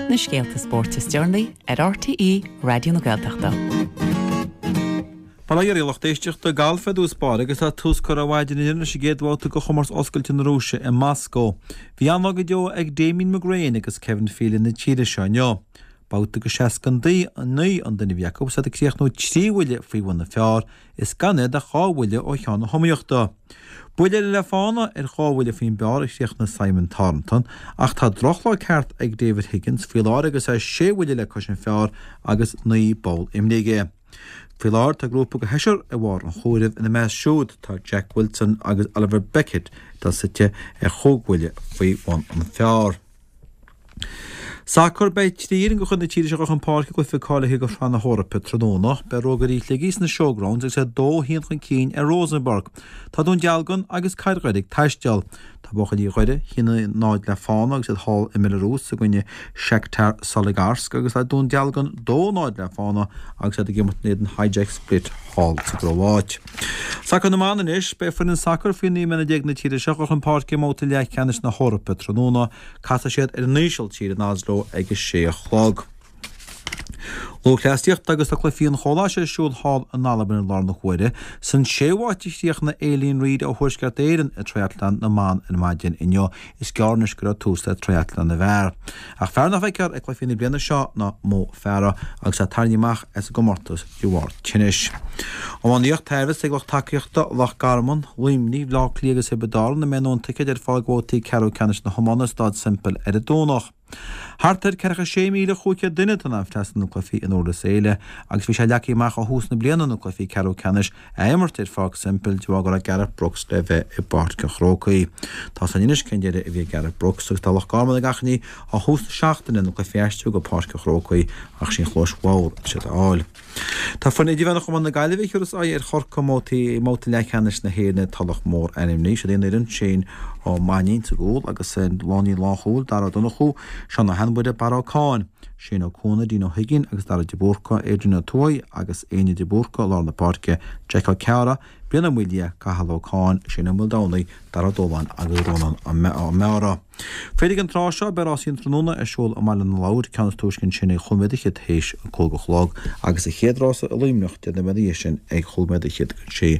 Na scéalta spóirt is deireanaí ar RTÉ Raidió na Gaeltachta. Bail ó Dhia oraibh a lucht éisteachta, Galf i dtús báire agus tá tús curtha ar maidin inniu leis an gcéad bhabhta de Chomórtas Oscailte na Rúise i Moscó. Bhí an-lá go deo ag Damien McGrane agus Kevin Phelan na tíre seo inniu. Babhta de 69 an duine a bhí acu agus iad ag críochnú 3 bhuille faoi bhun an phar is gan iad ach 2 bhuille ó cheann na hiomaíochta. Buille eile le fána ar 2 bhuille faoin bpar a chríochnaigh Simon Thornton ach tá drochlá ceart ag David Higgins faoi láthair agus é 6 bhuille le cois an phar agus 9 bpoll imeartha aige. Faoi láthair tá grúpa de sheisear ar bharr an chomhairimh, ina measc siúd tá Jack Wilson agus Oliver Beckett atá suite ar chúig bhuille faoi bhun an phar. Sacar, Beidh 3 fhoireann de chuid na tíre seo chun páirce i gcluiche cáilithe do Shraith na hEorpa tráthnóna. Beidh Rógairí Shligigh sna Showgrounds agus iad 2-1 chun cinn ar Rosenborg. Tá Dún Dealgan agus Cathair Dhoire ag taisteal. Tá buachaillí Dhoire 1-0 le fána agus iad thall i mBelarús i gcoinne Shakhtar Soligorsk agus tá Dún Dealgan 2-0 le fána agus iad ag imirt in éadan Hajduk Split thall sa gCróáit. Sacar na mBan anois, beidh foireann sacair faoi 19 mbliana na tíre seo chun páirce i mbabhta leathcheannais na hEorpa tráthnóna. Casfaidh siad ar an Ísiltír in Oslo ag a sé a chlog. Lúthchleasaíocht agus tá cluichí an Chomhlachais ar siúl thall in Albain i láthair na huaire. San séú háit a chríochnaigh Aileen Reid ó Thuaisceart Éireann i Triathlon na mBan ar maidin inniu. Is gearr anois go raibh tús le Triathlon na bhFear. Ach fear nach bhfeicfear ag cluichí na bliana seo ná Mo Farah agus é tarraingthe amach as an gcomórtas de bharr tinnis. Iománaíocht, Tá a fhios ag lucht tacaíochta Loch Garman, Luimnigh, Bhaile Átha Cliath agus Thiobraid Árann a mbeidh a ndóthain ticéad ar fáil do bhabhtaí ceathrú ceannais na hiomána i Staid Semple ar an Domhnach. Thart ar 46,500 duine atá in ann freastal ar na cluichí in Durlas Éile agus bhí sé leagtha amach ó thús na bliana na cluichí ceathrú ceannais a imirt ar Pháirc Semple de bharr go raibh Gareth Brooks le bheith i bPáirc an Chrócaigh. Tá a fhios againn anois cén deireadh a bhí ag Gareth Brooks agus tá Loch Garman ag achainí ó thús na seachtaine na cluichí a aistriú go Páirc an Chrócaigh ach sí an chluais bhodhar atá siad a fháil. Tá foireann idirmheánach iomána na Gaillimhe ag tabhairt aghaidh ar Chorcaigh i mbabhta leathcheannais na hÉireann i Tulach Mhór ainmnithe. Siod í an fhoireann, Shane Ó Mainnín sa gcúl agus an lánlíne lánchúil, Dara Ó Donnchú, Seán Ó hAinmhuire, Barra Ó Cáin, Shane Ó Cuana, Dean Ó hUiginn agus Dara de Búrca, Adrian Ó Tuathaigh agus Éinne de Búrca i lár na páirce, Jack Ó Cearra, Brian Ó Maoildhia, Cathal Ó Cáin, Shane Ó Maoldomhnaigh, Dara Ó Dóláin agus Rónán Ó Meára. Féar ag an tráth seo, beidh rásaí an tráthnóna ar siúl i mBaile na Lobhar, ceann is túisce ansin ag chúig nóiméad fhichead théis a 5 a chlog agus an chéad rása i Luimneach deich nóiméad ina dhiaidh sin ag chúig nóiméad fhichead don sé.